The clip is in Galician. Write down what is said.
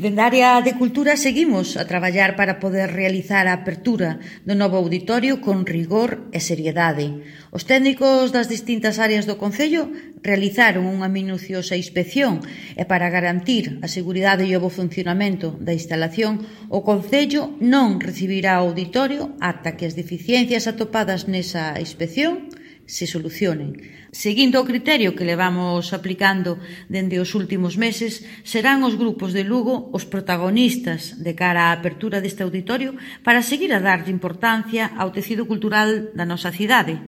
Dende a área de Cultura seguimos a traballar para poder realizar a apertura do novo auditorio con rigor e seriedade. Os técnicos das distintas áreas do Concello realizaron unha minuciosa inspección e para garantir a seguridade e o bo funcionamento da instalación, o Concello non recibirá o auditorio ata que as deficiencias atopadas nesa inspección se solucionen. Seguindo o criterio que levamos aplicando dende os últimos meses, serán os grupos de Lugo os protagonistas de cara á apertura deste auditorio para seguir a darlle importancia ao tecido cultural da nosa cidade.